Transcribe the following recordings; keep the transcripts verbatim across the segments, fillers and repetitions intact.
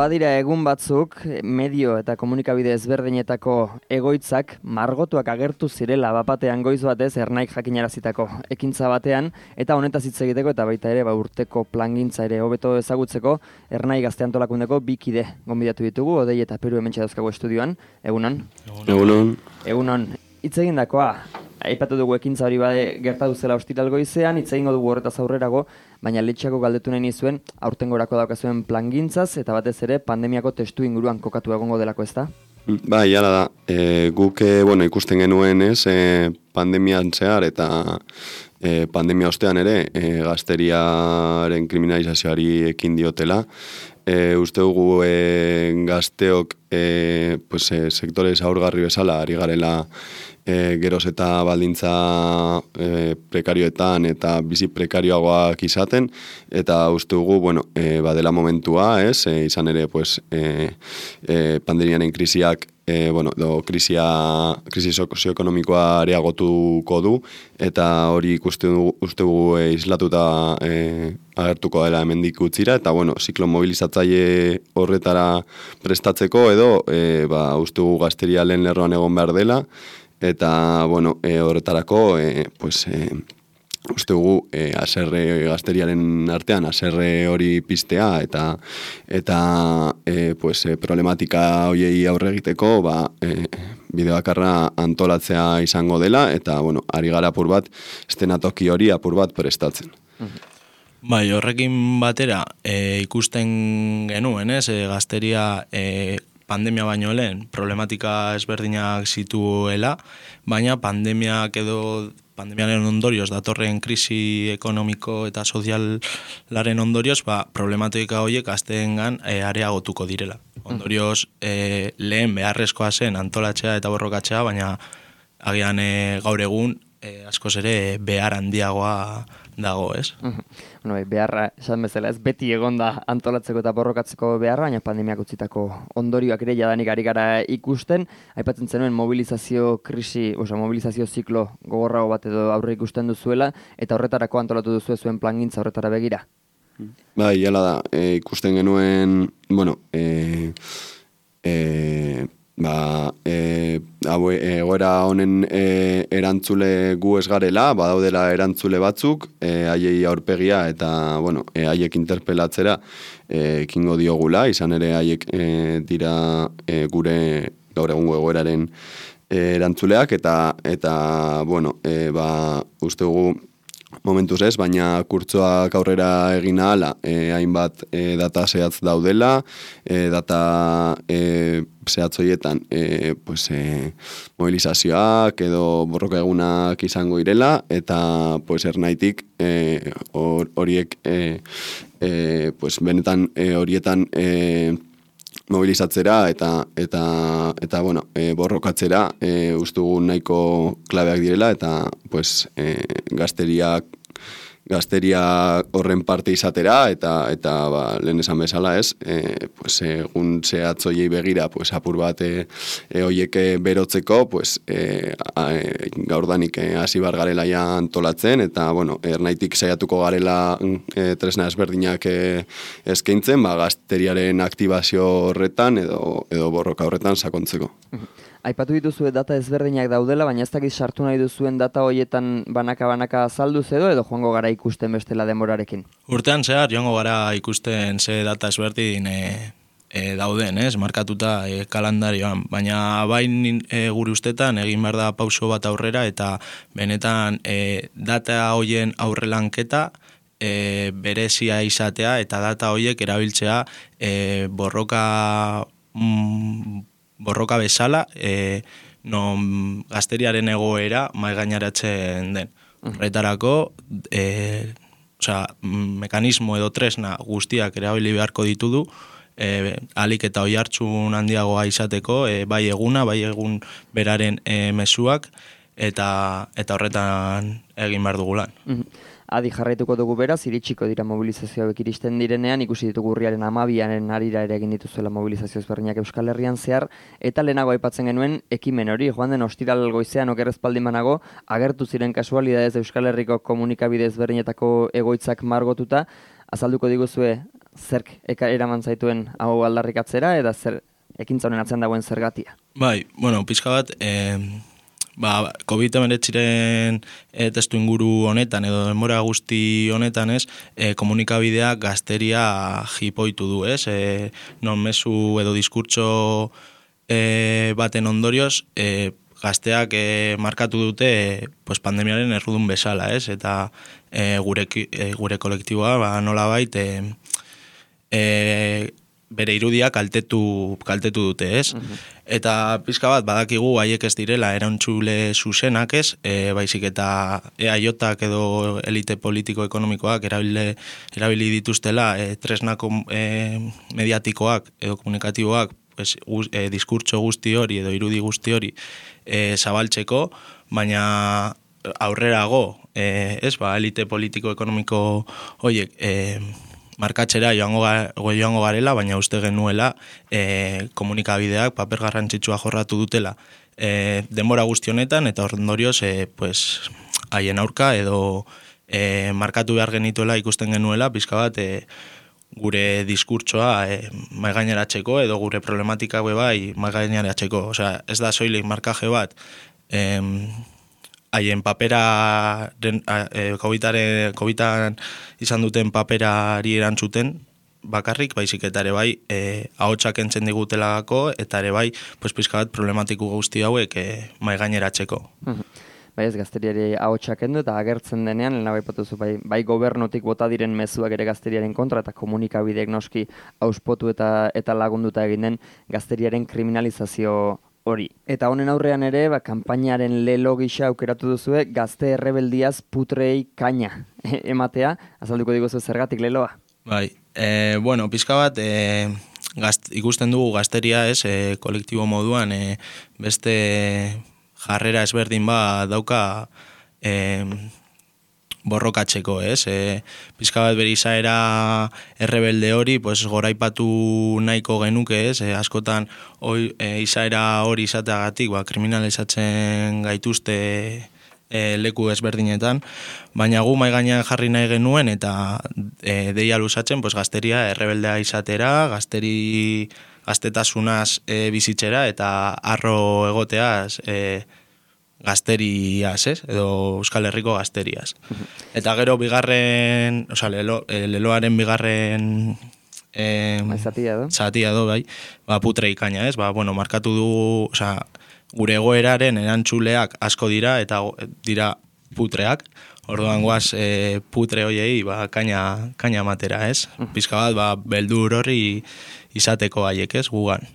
badira egun batzuk, medio eta komunikabide ezberdinetako egoitzak margotuak agertu zirela bapatean goiz batez Ernaik jakinarazitako ekintza batean, eta honetaz hitz egiteko eta baita ere ba, urteko plangintza ere hobeto ezagutzeko Ernai Gazte Antolakundeko bi kide gonbidatu ditugu, Odei eta Peru hementxe dauzkagu estudioan. Egunon? Egunon. Egunon. Hitz egindakoa, aipatu dugu ekintza hori bade gertatu zela ostiral goizean, hitz egingo dugu horretaz aurrerago, baina letxako galdetu nahi nizuen aurtengorako daukazuen plangintzaz eta batez ere pandemiako testu inguruan kokatu egongo delako, ezta? Bai, jala da. E, guk e, bueno, ikusten genuen ez, e, pandemian zehar eta e, pandemia ostean ere e, gazteriaren kriminalizazioari ekin diotela. E, uste dugu e, gazteok e, pues, e, sektore zaurgarri bezala ari garela e, geroz eta baldintza e, prekarioetan eta bizi prekarioagoak izaten, eta uste dugu, bueno, e, badela momentua, ez, e, izan ere, pues, e, e, pandemiaren krisiak E, bueno, do, krisia, krisi sozioekonomikoa areagotuko du, eta hori ikuste dugu, uste dugu e, islatuta e, agertuko dela hemendik utzira, eta bueno, ziklo mobilizatzaile horretara prestatzeko edo e, ba, uste dugu gazteria lehen lerroan egon behar dela, eta bueno, e, horretarako e, pues, e, uste dugu e, aserre gazteriaren artean aserre hori piztea eta eta e, pues, e, problematika hoiei aurre egiteko ba, e, bide bakarra antolatzea izango dela eta bueno, ari gara apur bat estenatoki hori apur bat prestatzen. Bai, horrekin batera e, ikusten genuen, ez, e, gazteria e, pandemia baino lehen problematika ezberdinak zituela, baina pandemiak edo pandemiaren ondorioz, datorren krisi ekonomiko eta sozialaren ondorioz, ba, problematika horiek gazteengan e, areagotuko direla. Ondorioz, e, lehen beharrezkoa zen antolatzea eta borrokatzea, baina agian e, gaur egun e, askoz ere behar handiagoa dago, ez? Bueno, beharra, esan bezala, ez beti egonda antolatzeko eta borrokatzeko beharra, baina pandemiak utzitako ondorioak ere jadanik ari gara ikusten. Aipatzen zenuen mobilizazio krisi, oza, mobilizazio ziklo gogorrago bat edo aurre ikusten duzuela, eta horretarako antolatu duzue zuen plangintza horretara begira. Bai, jala da, e, ikusten genuen, bueno, e, e, ba, e, egoera honen e, erantzule gu ez garela, badaudela erantzule batzuk, e, haiei aurpegia eta, bueno, e, haiek interpelatzera e, ekingo diogula, izan ere haiek e, dira e, gure gaur egungo egoeraren e, erantzuleak, eta, eta bueno, e, ba, uste dugu momentuz ez, baina kurtsoak aurrera egin ahala, e, hainbat e, data zehatz daudela, e, data e, zehatz horietan e, pues, e, mobilizazioak edo borroka egunak izango irela, eta pues, Ernaitik e, or, horiek e, e, pues, benetan e, horietan e, mobilizatzera eta eta eta bueno, e, borrokatzera e, ustugu nahiko klabeak direla eta pues e, gazteriak gazteria horren parte izatera eta eta ba, lehen esan bezala ez, e, pues, egun zehatzoiei begira pues, apur bat e, e, oiek berotzeko pues, e, a, e, gaurdanik hasi bar garela ja antolatzen eta bueno, Ernaitik saiatuko garela e, tresna ezberdinak e, eskaintzen, ba, gazteriaren aktibazio horretan edo, edo borroka horretan sakontzeko. Aipatu dituzue data ezberdinak daudela, baina ez dakit sartu nahi duzuen data horietan banaka-banaka azalduz edo, edo joango gara ikusten bestela denborarekin? Urtean zehar joango gara ikusten ze data ezberdin e, e, dauden, ez, markatuta e, kalendarioan, baina bain e, gure ustetan egin behar da pauso bat aurrera eta benetan e, data hoien aurrelanketa e, berezia izatea eta data hoiek erabiltzea e, borroka mm, borroka bezala, e, non gazteriaren egoera maigaineratzen den. Horretarako, e, osea, mekanismo edo tresna guztiak erabili beharko ditudu, e, alik eta oihartzun handiagoa izateko, e, bai eguna, bai egun beraren e, mezuak, eta eta horretan egin behar dugu lan. Adi jarraituko dugu beraz, iritsiko dira mobilizazioak iristen direnean, ikusi ditugu urriaren hamabiaren arira ere egin dituzuela mobilizazio ezberdinak Euskal Herrian zehar, eta lehenago aipatzen genuen ekimen hori, joan den ostiral goizean okerrezpaldin banago, agertu ziren kasualidadez Euskal Herriko komunikabide ezberdinetako egoitzak margotuta, azalduko diguzue zerk eka eraman zaituen hau aldarrikatzera, eta zer ekintza honen atzean dagoen zergatia? Bai, bueno, pixka bat, eh, ba, covid hemeretziren e, testu inguru honetan, edo denbora guzti honetan, ez, e, komunikabideak gazteria jipoitu du, ez, e, non mezu edo diskurtso e, baten ondorioz, e, gazteak e, markatu dute e, pues, pandemiaren errudun bezala, ez, eta e, gure, e, gure kolektiboa, ba, nola bait, e, e, bere irudia kaltetu, kaltetu dute, ez? Uh-huh. Eta pizka bat, badakigu haiek ez direla erantzule zuzenak, ez? E, baizik eta E A J-ak edo elite politiko-ekonomikoak erabili, erabili dituztela e, tresnako e, mediatikoak edo komunikatiboak pues, e, diskurtso guzti hori edo irudi guzti hori e, zabaltzeko, baina aurrerago, e, ez? Ba, elite politiko-ekonomiko horiek e, markatzera joango, joango garela, baina uste genuela e, komunikabideak paper garrantzitsua jorratu dutela e, denbora guzti honetan, eta ondorioz e, pues, haien aurka edo e, markatu behar genituela ikusten genuela, pizka bat e, gure diskurtsoa e, maigaineratzeko edo gure problematika bai maigaineratzeko. Osea, ez da soilik markaje bat e, haien papera, e, COVIDan izan duten paperari erantzuten bakarrik, baizik eta ere bai, e, ahotsak entzen digutelako, eta ere bai, pues, pizka bat problematiku guzti hauek e, maigaineratzeko. Bai ez, gazteriari ahotsak endu, eta agertzen denean, lehena bai patuzu, bai, bai gobernutik bota diren mezuak ere gazteriaren kontra, eta komunikabideek noski auspotu eta, eta lagunduta egin den gazteriaren kriminalizazio hori. Eta honen aurrean ere, ba, kanpainaren lelo gisa aukeratu duzue, gazte errebeldiaz putrei kaina ematea, azalduko diguzu zergatik leloa? Bai, e, bueno, pizka bat, e, gazt, ikusten dugu gazteria, ez, e, kolektibo moduan, e, beste jarrera ezberdin ba dauka e, borrokatzeko, ez? E, pizka bat bere izaera errebelde hori, pues, goraipatu nahiko genuke, ez? E, askotan oi, e, izaera hori izateagatik, ba, kriminalizatzen gaituzte e, leku ezberdinetan, baina gu mai gainean jarri nahi genuen eta e, deia luzatzen, pues, gazteria errebeldea izatera, gazteri gaztetasunaz e, bizitzera eta arro egoteaz e, gazteriaz, ez? Edo Euskal Herriko gazteriaz. Eta gero bigarren, osea, lelo, e, leloaren bigarren e, zatia do. Zatia do, bai. Ba, putre ikaina, ez? Ba, bueno, markatu du, osea, gure egoeraren erantzuleak asko dira eta dira putreak. Orduan guaz e, putre hoiei ba, kaina, kaina matera, ez? Pizka bat, ba, beldur horri izateko haiek, ez? Gugan.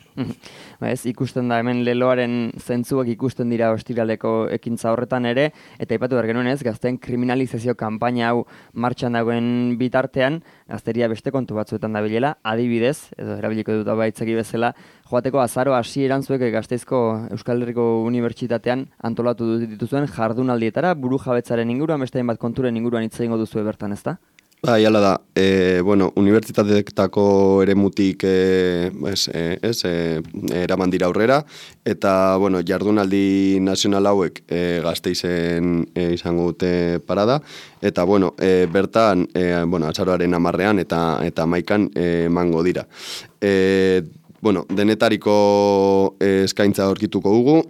Ba ez, ikusten da hemen leloaren zentzuak ikusten dira ostiraleko ekintza horretan ere, eta aipatu behar genuen ez, gazteen kriminalizazio kanpaina hau martxan dagoen bitartean, gazteria beste kontu batzuetan dabilela, adibidez, edo erabiliko dut baitzaki bezala, joateko azaro hasi erantzuek Gasteizko Euskal Herriko Unibertsitatean antolatu dituzuen jardunaldietara, buru jabetzaren inguruan, beste hainbat konturen inguruan hitz egingo duzue bertan, ezta? Bai, hala da. E, bueno, unibertsitateetako eremutik e, es, e, es, e, eraman dira aurrera, eta bueno, jardunaldi nazional hauek e, Gasteizen e, izango dute parada, eta bueno, e, bertan, e, bueno, azaroaren hamarrean eta eta hamaikan e, emango dira. E, bueno, denetariko e, eskaintza aurkituko dugu,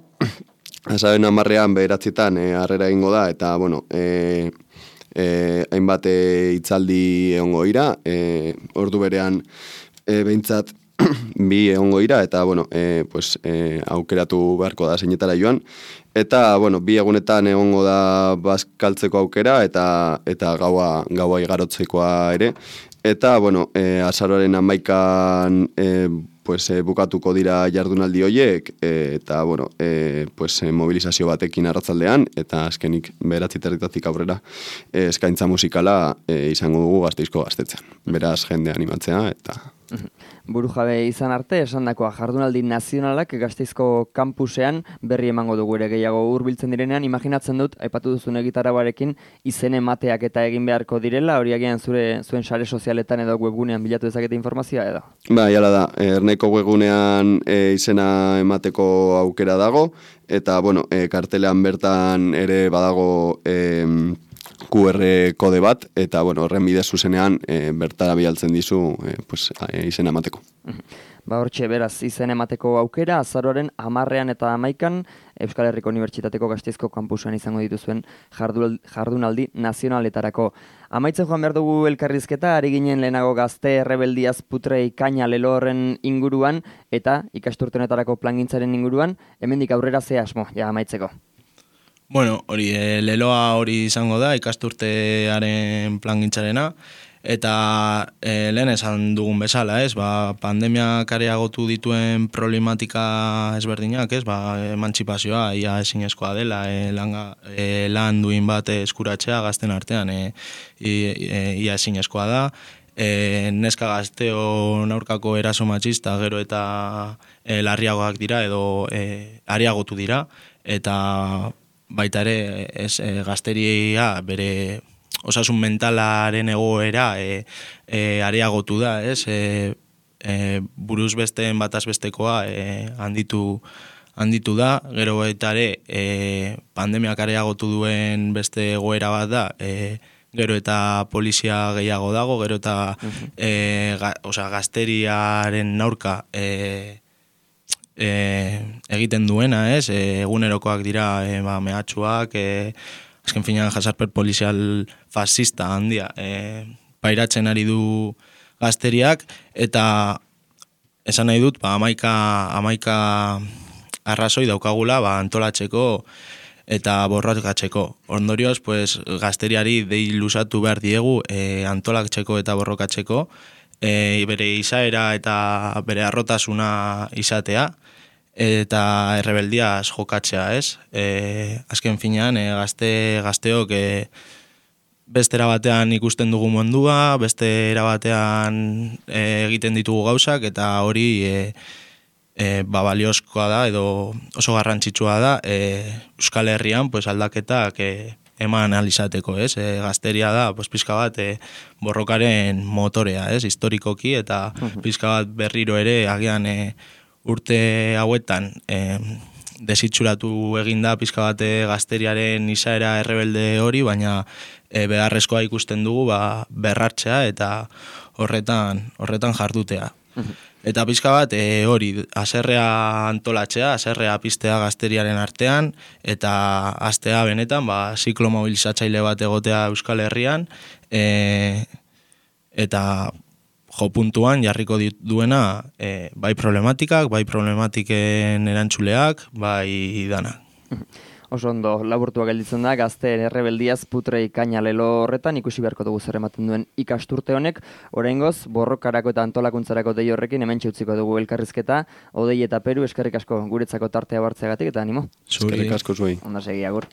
azaroaren hamarrean bederatzitan e, harrera egingo da, eta bueno, e, Eh, hainbat eh, hitzaldi egongo ira, eh, ordu berean eh, behintzat bi egongo ira, eta bueno, eh, pues, eh, aukeratu beharko da zeinetara joan, eta bueno, bi egunetan egongo da bazkaltzeko aukera, eta eta gaua, gaua igarotzekoa ere, eta bueno, eh, azaroaren hamaikan eh, pues, eh, bukatuko dira jardunaldi horiek, eh, eta bueno, eh, pues, eh, mobilizazio batekin arratzaldean, eta azkenik beratzi territatik aurrera eh, eskaintza musikala eh, izango dugu Gasteizko gaztetzean. Beraz, jende animatzea, eta... Buru jabe izan arte, esandakoa jardunaldi nazionalak Gasteizko kampusean berri emango dugu ere gehiago hurbiltzen direnean, imaginatzen dut, aipatu duzun egitarabarekin izen emateak eta egin beharko direla, hori agian zure zuen sare sozialetan edo webgunean bilatu dezakete informazioa edo? Ba, jala da, Erneko webgunean e, izena emateko aukera dago, eta bueno, e, kartelean bertan ere badago e, Q R kode bat, eta, bueno, horren bidez zuzenean e, bertara bialtzen dizu e, pues, e, izen emateko. Ba hortxe, beraz, izen emateko aukera, azaroaren hamarrean eta hamaikan Euskal Herriko Unibertsitateko Gasteizko kampusan izango dituzuen jardunaldi nazionaletarako. Amaitzen joan behar dugu elkarrizketa, ari ginen lehenago Gazte Errebeldiaz putre ikaina lelo horren inguruan, eta ikasturtenetarako plangintzaren inguruan, hemendik aurrera ze asmo, ja amaitzeko. Bueno, hori, e, leloa hori izango da, ikasturtearen plangintzarena, eta e, lehen esan dugun bezala, ez, ba, pandemiak areagotu dituen problematika ezberdinak, ez, ba, emantzipazioa, ia ezinezkoa dela, e, langa, e, lan duin bat eskuratzea gazten artean, e, e, ia ezinezkoa da, e, neska gazteo aurkako eraso matxista gero eta e, larriagoak dira, edo e, areagotu dira, eta baita ere ez, e, gazteria bere osasun mentalaren egoera e, e, areagotu da, ez? E, e, buruz besteen bataz bestekoa e, handitu, handitu da, gero baita ere e, pandemiak areagotu duen beste egoera bat da, e, gero eta polizia gehiago dago, gero eta e, ga, osa, gazteriaren aurka e, E, egiten duena, ez? E, egunerokoak dira e, ba, mehatxuak, e, azken finean jasarper polizial fascista handia e, pairatzen ari du gazteriak, eta esan nahi dut, ba, amaika, amaika arrazoi daukagula ba, antolatzeko eta borrokatzeko. Ondorioz, pues, gazteriari dei luzatu behar diegu e, antolatzeko eta borrokatzeko, e, bere izaera eta bere arrotasuna izatea, eta errebeldiaz jokatzea, ez? E, azken finean, e, gazte, gazteok e, beste erabatean ikusten dugu mundua, beste erabatean e, egiten ditugu gauzak, eta hori e, e, ba, baliozkoa da, edo oso garrantzitsua da, e, Euskal Herrian pues, aldaketak e, eman alizateko, ez? E, gazteria da, pues, pizka bat e, borrokaren motorea, ez? Historikoki, eta pizka bat berriro ere agian e, urte hauetan eh, desitxuratu eginda pizka bate gazteriaren izaera errebelde hori, baina e, beharrezkoa ikusten dugu ba, berrartzea eta horretan horretan jardutea. Eta pizka bat e, hori, haserrea antolatzea, haserrea piztea gazteriaren artean, eta hastea benetan ba, ziklo mobilizatzaile bat egotea Euskal Herrian, e, eta jo puntuan jarriko duena e, bai problematikak, bai problematiken erantzuleak, bai danak. Oso ondo, laburtua gelditzen da, Gazteen Errebeldiaz putre ikaina lelo horretan, ikusi beharko dugu zer ematen duen ikasturte honek, oraingoz borrokarako eta antolakuntzarako dei horrekin hemen txutziko dugu elkarrizketa, Odei eta Peru, eskerrik asko guretzako tartea bartzeagatik eta animo. Eskerrik asko zuei. Onda segi, agur.